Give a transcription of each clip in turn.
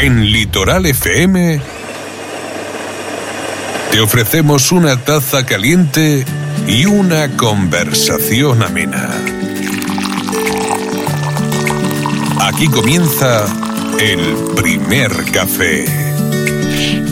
En Litoral FM te ofrecemos una taza caliente y una conversación amena. Aquí comienza el primer café.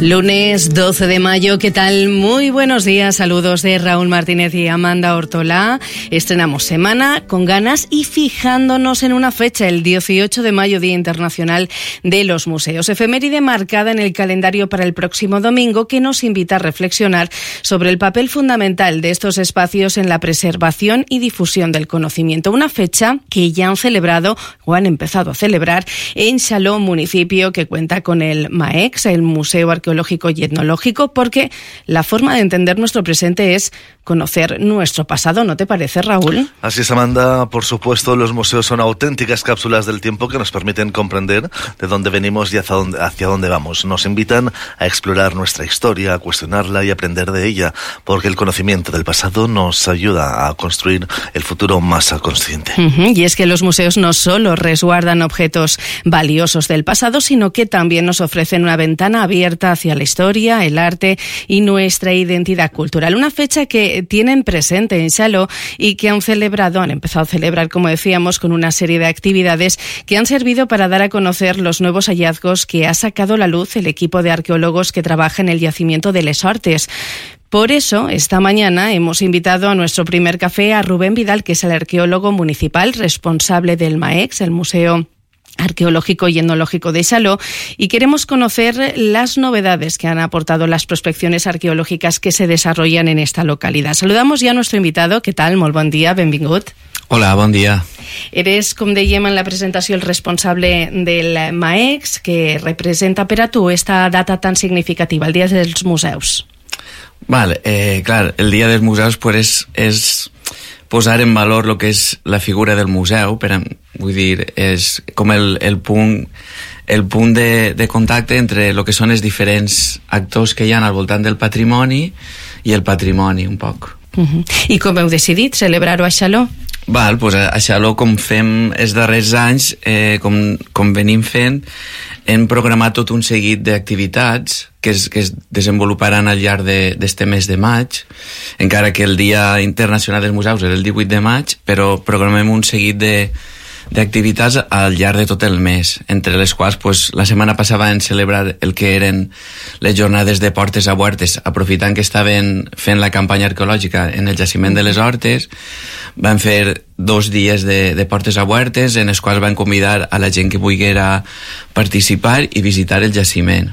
Lunes 12 de mayo, ¿qué tal? Muy buenos días, saludos de Raúl Martínez y Amanda Ortolá. Estrenamos semana con ganas y fijándonos en una fecha, el 18 de mayo, Día Internacional de los Museos. Efeméride marcada en el calendario para el próximo domingo que nos invita a reflexionar sobre el papel fundamental de estos espacios en la preservación y difusión del conocimiento. Una fecha que ya han celebrado o han empezado a celebrar en Xaló, municipio que cuenta con el MAEX, el Museo Arqueológico y Etnológico, porque la forma de entender nuestro presente es conocer nuestro pasado, ¿no te parece, Raúl? Así es, Amanda. Por supuesto, los museos son auténticas cápsulas del tiempo que nos permiten comprender de dónde venimos y hacia dónde vamos. Nos invitan a explorar nuestra historia, a cuestionarla y aprender de ella, porque el conocimiento del pasado nos ayuda a construir el futuro más consciente. Y es que los museos no solo resguardan objetos valiosos del pasado, sino que también nos ofrecen una ventana abierta hacia la historia, el arte y nuestra identidad cultural. Una fecha que tienen presente en Xaló y que han empezado a celebrar, como decíamos, con una serie de actividades que han servido para dar a conocer los nuevos hallazgos que ha sacado a la luz el equipo de arqueólogos que trabaja en el yacimiento de Les Hortes. Por eso, esta mañana hemos invitado a nuestro primer café a Rubén Vidal, que es el arqueólogo municipal responsable del MAEX, el Museo Arqueológico y Etnológico de Xaló, y queremos conocer las novedades que han aportado las prospecciones arqueológicas que se desarrollan en esta localidad. Saludamos ya a nuestro invitado. ¿Qué tal? Molt bon dia, benvingut. Hola, bon dia. Eres, com dèiem en la presentació, el responsable del MAEX, que representa per a tu esta data tan significativa, el Dia dels Museus. Clar, el Dia dels Museus pues, és posar en valor el que és la figura del museu, vull dir, és com el punt de contacte entre el que són els diferents actors que hi ha al voltant del patrimoni i el patrimoni, un poc. I com heu decidit celebrar-ho a Xaló? Pues a Xaló, com fem els darrers anys, com venim fent, hem programat tot un seguit d'activitats que es desenvoluparan al llarg d'este mes de maig, encara que el Dia Internacional dels Museus és el 18 de maig, però programem un seguit d'activitats al llarg de tot el mes, entre les quals la setmana passada vam celebrar el que eren les jornades de Portes a Huertes, aprofitant que estaven fent la campanya arqueològica en el jaciment de les Hortes. Vam fer 2 dies de Portes a Huertes, en els quals van convidar a la gent que volguera participar i visitar el jaciment.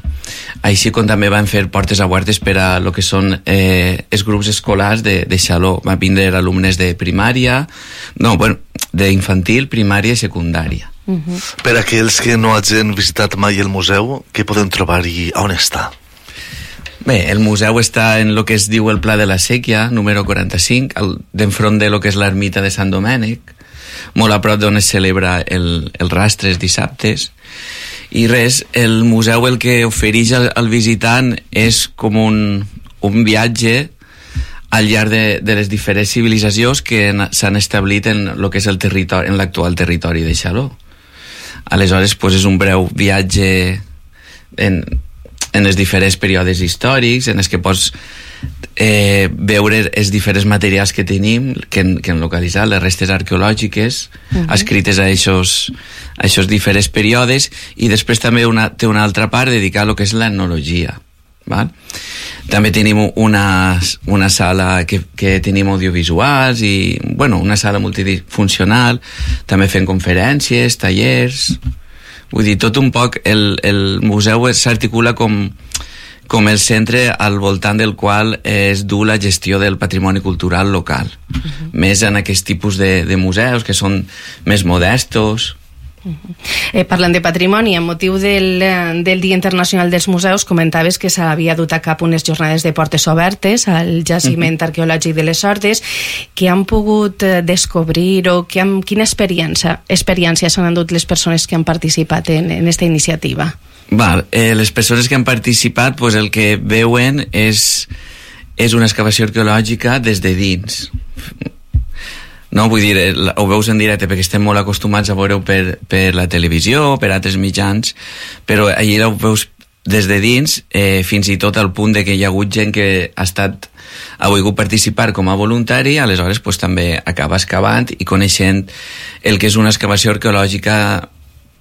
Així com també van fer Portes a Huertes per a lo que són els grups escolars de Xaló. Van vindre alumnes de primària, d'infantil, primària i secundària. Per a aquells que no hagin visitat mai el museu, què podem trobar i on està? Bé, el museu està en el que es diu el Pla de la Sèquia, número 45, d'enfront de lo que és l'ermita de Sant Domènec, molt a prop d'on es celebra el rastre els dissabtes. I res, el museu el que ofereix al visitant és com un viatge al llarg de les diferents civilisacions que s'han establit en el que és el territori, en l'actual territori de Xaló. Aleshores, és un breu viatge en els diferents períodes històrics, en els que pots veure els diferents materials que tenim, que hem localitzat, les restes arqueològiques, escrites a aquests diferents períodes, i després també té una altra part dedicada a lo que és l'etnologia. També tenim una sala que tenim audiovisuals i una sala multifuncional, també fem conferències, tallers. Vull dir, tot un poc el museu s'articula com el centre al voltant del qual es du la gestió del patrimoni cultural local, més en aquest tipus de museus que són més modestos. Parlant de patrimoni, amb motiu del Dia Internacional dels Museus, comentaves que s'havia dut a cap unes jornades de portes obertes al jaciment arqueològic de les Hortes. Què han pogut descobrir o quina experiència s'han endut les persones que han participat en aquesta iniciativa? Les persones que han participat, el que veuen és una excavació arqueològica des de dins. no? Vull dir, ho veus en directe perquè estem molt acostumats a veure-ho per la televisió, per altres mitjans, però allà ho veus des de dins, fins i tot al punt de que hi ha hagut gent que ha volgut participar com a voluntari, aleshores pues, també acaba excavant i coneixent el que és una excavació arqueològica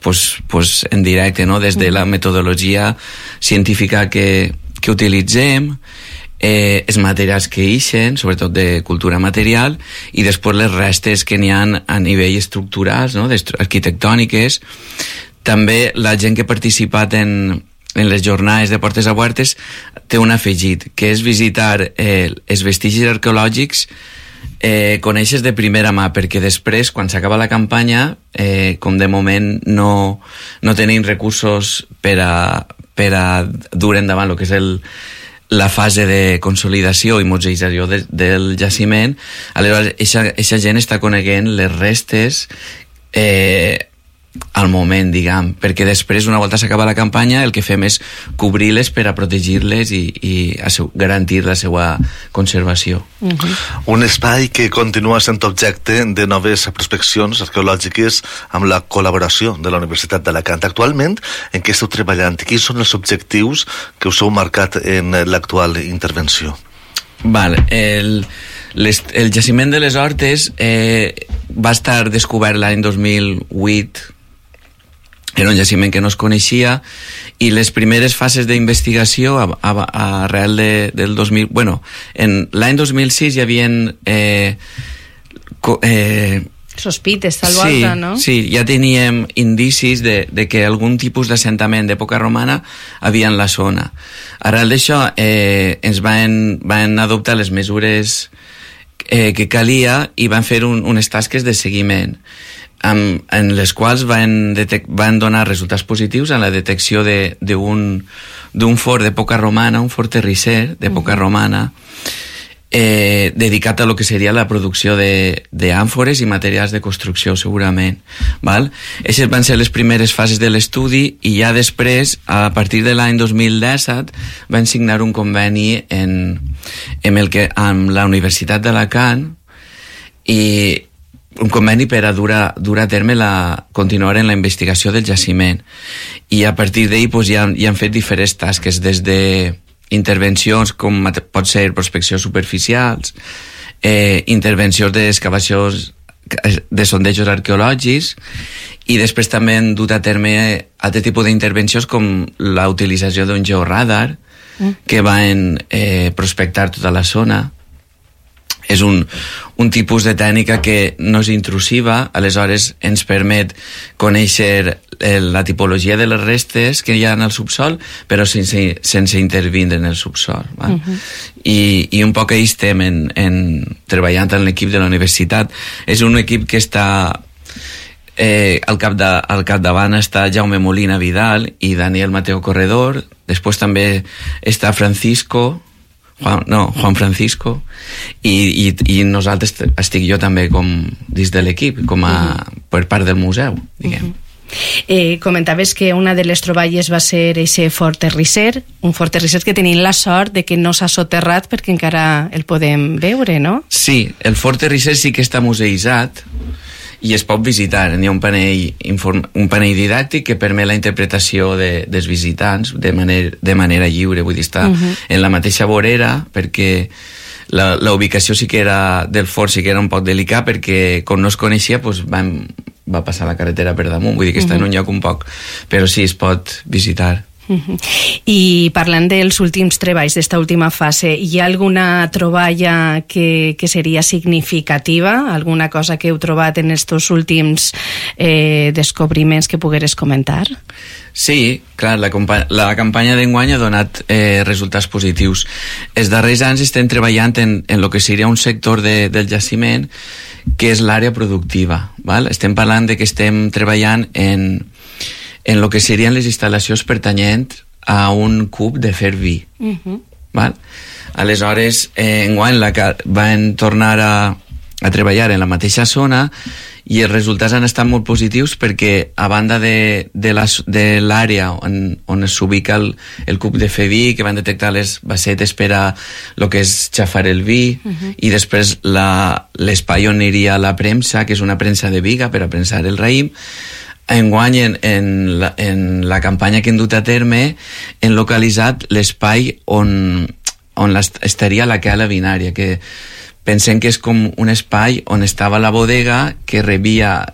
pues, en directe, no? Des de la metodologia científica que utilitzem, els materials que ixen, sobretot de cultura material, i després les restes que n'hi ha a nivell estructurals, no? Arquitectòniques. També la gent que ha participat en les jornades de Portes a Puertes té un afegit, que és visitar els vestigis arqueològics, coneixes de primera mà, perquè després, quan s'acaba la campanya, com de moment no tenim recursos per a dur endavant el que és la fase de consolidació i museïtzació del jaciment, aleshores eixa gent està coneguent les restes al moment, diguem, perquè després, una volta s'acaba la campanya, el que fem és cobrir-les per a protegir-les i garantir la seva conservació. Un espai que continua sent objecte de noves prospeccions arqueològiques amb la col·laboració de la Universitat d'Alacant. Actualment, en què esteu treballant? Quins són els objectius que us heu marcat en l'actual intervenció? Vale, el jaciment de les Hortes va estar descobert l'any 2008. Era un jaciment que no es coneixia i les primeres fases d'investigació arrel del 2000... Bueno, en l'any 2006 hi havia... sospites, tal volta, no? Sí, ja teníem indicis de que algun tipus d'assentament d'època romana havia en la zona. Arrel d'això ens van adoptar les mesures que calia i van fer unes tasques de seguiment en les quals van donar resultats positius en la detecció d'un fort d'època romana, un fort terrisser d'època romana, dedicat a lo que seria la producció d'àmfores i materials de construcció, segurament. Aquestes van ser les primeres fases de l'estudi i ja després, a partir de l'any 2017, van signar un conveni amb la Universitat d'Alacant i un conveni per a dur a terme continuar en la investigació del jaciment. I a partir d'ahir ja han fet diferents tasques, des de intervencions com pot ser prospeccions superficials, intervencions d'excavacions de sondejos arqueològics, i després també han dut a terme altre tipus d'intervencions com la utilització d'un georradar que van prospectar tota la zona. És un tipus de tècnica que no és intrusiva, aleshores ens permet conèixer la tipologia de les restes que hi ha en el subsol, però sense intervindre en el subsol. I un poc ahí estem treballant en l'equip de la universitat. És un equip que està al capdavant està Jaume Molina Vidal i Daniel Mateo Corredor, després també està Juan Francisco i nosaltres estic jo també com dins de l'equip, com per part del museu, diguem. Comentaves que una de les troballes va ser aquest fort terrisser, un fort terrisser que tenim la sort de que no s'ha soterrat perquè encara el podem veure, no? Sí, el fort terrisser sí que està museïtzat i es pot visitar. Hi ha un panell didàctic que permet la interpretació dels visitants de manera lliure, vull dir, està en la mateixa vorera, perquè la ubicació sí que era del fort, sí que era un poc delicat, perquè com no es coneixia va passar la carretera per damunt, vull dir que està en un lloc un poc, però sí, es pot visitar. I parlant dels últims treballs d'esta última fase, hi ha alguna troballa que seria significativa? Alguna cosa que heu trobat en estos últims descobriments que pogueres comentar? Sí, clar, la campanya d'enguany ha donat resultats positius. Els darrers anys estem treballant en el que seria un sector del jaciment que és l'àrea productiva. Estem parlant de que estem treballant en el que serien les instal·lacions pertanyents a un cub de fer vi. Aleshores, enguany van tornar a treballar en la mateixa zona i els resultats han estat molt positius perquè a banda de l'àrea on s'ubica el cub de fer vi, que van detectar les bassetes per a el que és xafar el vi, i després l'espai on aniria la premsa, que és una premsa de viga per a premsar el raïm. Enguany, en la campanya que hem dut a terme, hem localitzat l'espai on estaria la cala binària, que pensem que és com un espai on estava la bodega, que rebia.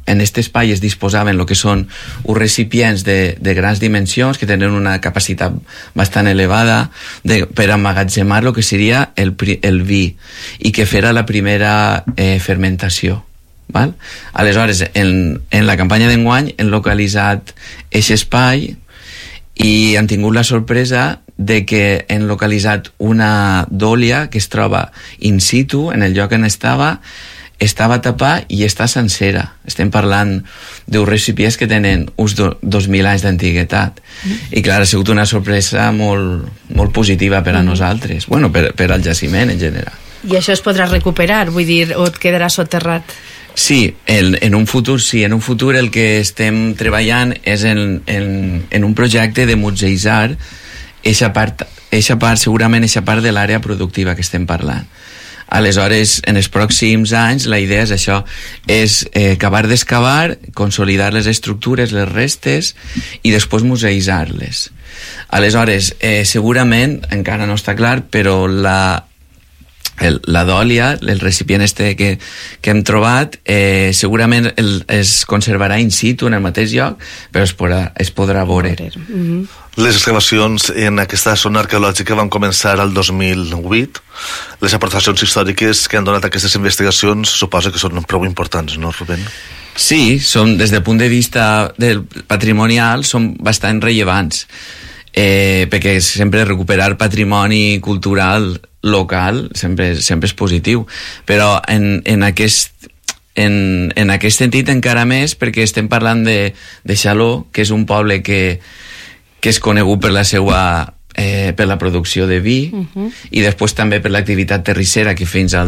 En aquest espai es disposaven el que són uns recipients de grans dimensions, que tenen una capacitat bastant elevada per emmagatzemar el que seria el vi, i que fera la primera fermentació. Val? Aleshores, en la campanya d'enguany hem localitzat aquest espai i han tingut la sorpresa de que hem localitzat una dòlia que es troba in situ, en el lloc on estava tapada i està sencera. Estem parlant d'uns recipients que tenen uns 2.000 anys d'antiguitat. I clar, ha sigut una sorpresa molt, molt positiva per a nosaltres, bueno, per al jaciment en general. I això es podrà recuperar, vull dir, o et quedarà soterrat? Sí, en un futur sí. En un futur el que estem treballant és en un projecte de museïtzar eixa part, segurament eixa part de l'àrea productiva que estem parlant. Aleshores, en els pròxims anys, la idea és això, és acabar d'excavar, consolidar les estructures, les restes, i després museïtzar-les. Aleshores, segurament, encara no està clar, però la dòlia, el recipient que hem trobat, segurament es conservarà in situ en el mateix lloc, però es podrà veure. Les excavacions en aquesta zona arqueològica van començar el 2008. Les aportacions històriques que han donat aquestes investigacions suposo que són prou importants, no, Rubén? Sí, des del punt de vista patrimonial són bastant rellevants, perquè sempre recuperar patrimoni cultural local sempre és positiu, però en aquest sentit encara més, perquè estem parlant de Xaló, que és un poble que és conegut per per la producció de vi, i després també per l'activitat terrissera, que fins a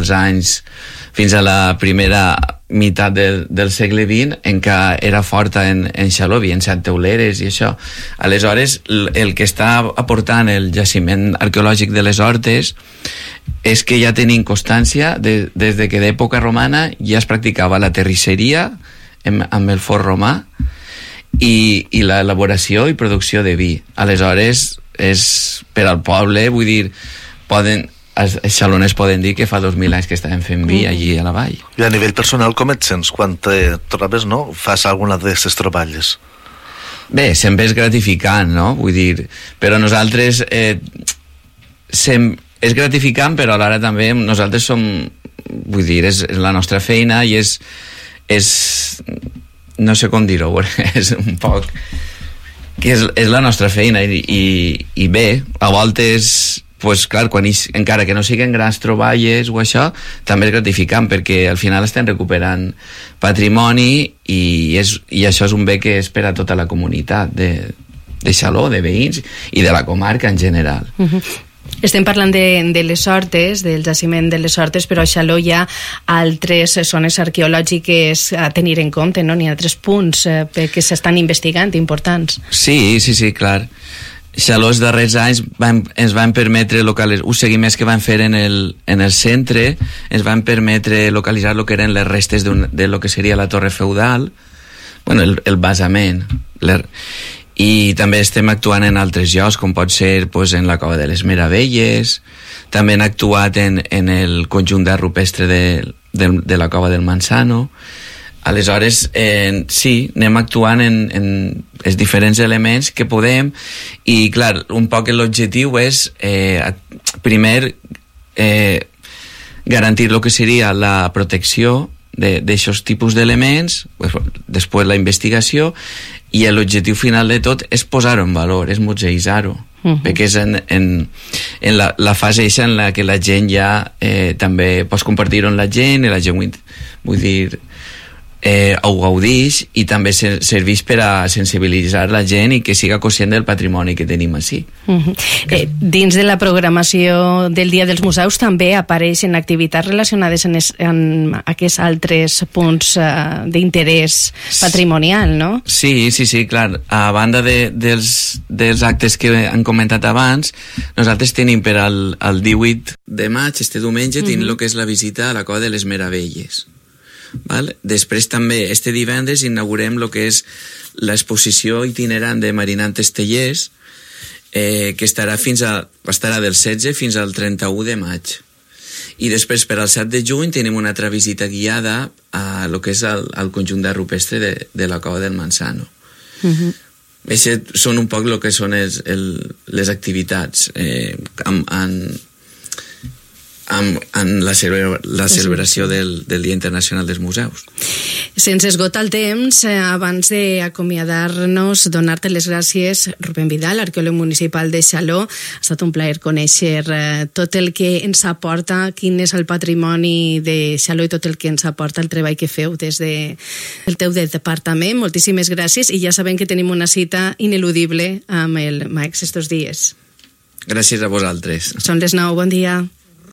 la primera meitat del segle XX encara era forta en Xaló, en set teuleres i això. Aleshores, el que està aportant el jaciment arqueològic de les Hortes és que ja tenim constància des de que d'època romana ja es practicava la terrisseria amb el forn romà i l'elaboració i producció de vi. Aleshores, és per al poble, vull dir, els xaloners poden dir que fa 2.000 anys que estaven fent vi allí a la vall. I a nivell personal, com et sents quan te trobes, no? Fas alguna d'aquestes troballes? Bé, sempre és gratificant, no? Vull dir, però nosaltres és gratificant, però alhora també nosaltres som, vull dir, és la nostra feina i és no sé com dir-ho, és un poc que és la nostra feina i bé, a voltes pues, clar, encara que no siguin grans troballes o això, també és gratificant perquè al final estem recuperant patrimoni i això és un bé que és per a tota la comunitat de Xaló, de veïns i de la comarca en general. Estem parlant de les Hortes, del jaciment de les Hortes, però a Xaló hi ha altres zones arqueològiques a tenir en compte, no? N'hi ha altres punts que s'estan investigant importants. Sí, clar. Xaló els darrers anys ens van permetre localitzar, uns seguiments que van fer en el centre, ens van permetre localitzar el que eren les restes de lo que seria la torre feudal, bueno, el basament, i també estem actuant en altres llocs, com pot ser pues, en la Cova de les Meravelles, també hem actuat en el conjunt d'art rupestre de la Cova del Manzano. Aleshores, sí, anem actuant en els diferents elements que podem i, clar, un poc l'objectiu és, primer, garantir el que seria la protecció d'aixòs tipus d'elements, després la investigació, i l'objectiu final de tot és posar-ho en valor, és museïtzar-ho, perquè és en la fase eixa en la que la gent ja també pots compartir-ho amb la gent, i la gent, vull dir, ho gaudix, i també serveix per a sensibilitzar la gent i que siga conscient del patrimoni que tenim així. Dins de la programació del Dia dels Museus també apareixen activitats relacionades amb aquests altres punts d'interès patrimonial, no? Sí, clar. A banda dels actes que han comentat abans, nosaltres tenim per al 18 de maig, este diumenge, tenim el que és la visita a la Cova de les Meravelles. Val? Després també, este divendres, inaugurem el que és l'exposició itinerant de Marinant Estellers, que estarà del 16 fins al 31 de maig. I després, per al 7 de juny, tenim una altra visita guiada a lo que és el conjunt de rupestre de la Cova del Manzano. Això són un poc el que són les activitats en la celebració del Dia Internacional dels Museus. Sense esgotar el temps, abans d'acomiadar-nos, donar-te les gràcies, Rubén Vidal, arqueòleg municipal de Xaló. Ha estat un plaer conèixer tot el que ens aporta, quin és el patrimoni de Xaló i tot el que ens aporta el treball que feu des del teu departament. Moltíssimes gràcies, i ja sabem que tenim una cita ineludible amb el MAECS estos dies. Gràcies a vosaltres. Són les 9, bon dia.